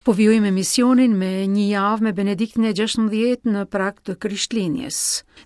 Po vijojmë emisionin me një javë me Benediktin e 16 në prag të Krishtlindjes.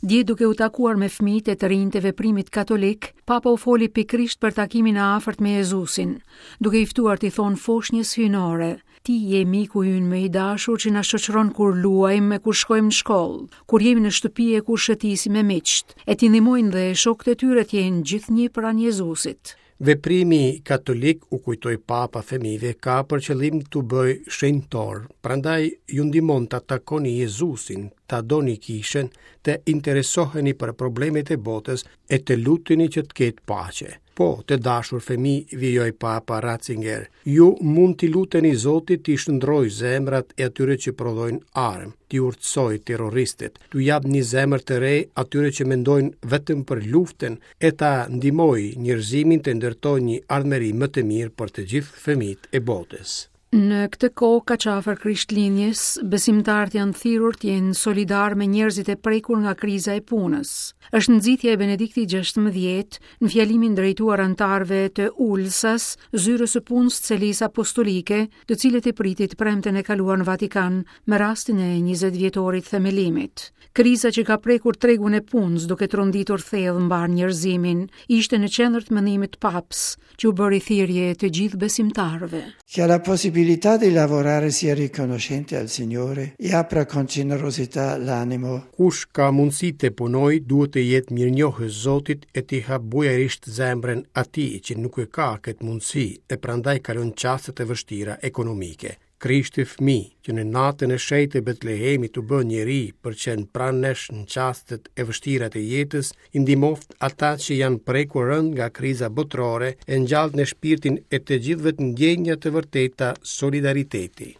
Dje duke u takuar me fëmijët e të rinjtë e veprimit katolik, Papa u foli pikërisht për takimin e afërt me Jezusin, duke i ftuar t'i thonë foshnjës hyjnore, ti je miku ynë më i dashur që na shoqëron kur luajmë e kur shkojmë në shkollë, kur jemi në shtëpi e kur shëtisim me miqtë, e t'i ndihmojnë dhe shokët e tyre të jenë gjithnjë pranë Jezusit. Veprimi katolik, u kujtoi Papa fëmijëve, ka për qëllim t'u bëjë shenjtorë, prandaj ju ndihmon ta takoni Jezusin, ta doni kishën, të interesoheni për problemet e botës e të luteni që të ketë paqe. Po, të dashur fëmijë, vijoi Papa Ratzinger, ju mund t'i luteni Zotit t'i shndërrojë zemrat e atyre që prodhojnë armë, t'i urtësojë terroristët, t'u japë një zemër të re atyre që mendojnë vetëm për luftën e ta ndihmojë njerëzimin të ndërtojë një ardhmëri më të mirë për të gjithë fëmijët e botës. Në këtë kohë kaq afër Krishtlindjes, besimtarët janë thirrur të jenë solidarë me njerëzit e prekur nga kriza e punës. Është nxitja e Benediktit XVI në fjalimin drejtuar anëtarëve të ULSA-s, zyrës së punës së Selisë Apostolike, të cilët e priti të premten e kaluar në Vatikan me rastin e 20 vjetorit themelimit. Kriza që ka prekur tregun e punës duke tronditur thellë mbarë njerëzimin, ishte në qendër të mendimit të Papës, që u bëri thirrje të gjithë besimtarëve. Chi ha la possibilità di lavorare sia riconoscente al Signore e apra con generosità l'animo. Kush ka mundësi të punojë duhet të jetë mirënjohës Zotit e t'i hapë bujarisht zemrën atij që nuk e ka këtë mundësi e prandaj kalon çaste të vështira ekonomike. Krishti fëmijë, që në natën e shenjtë të Betlehemit u bë njeri për të qenë pranë nesh në çastet e vështira të jetës, i ndihmoftë ata që janë prekur rëndë nga kriza botërore e ngjalltë në shpirtin e të gjithëve ndjenja të vërteta solidariteti.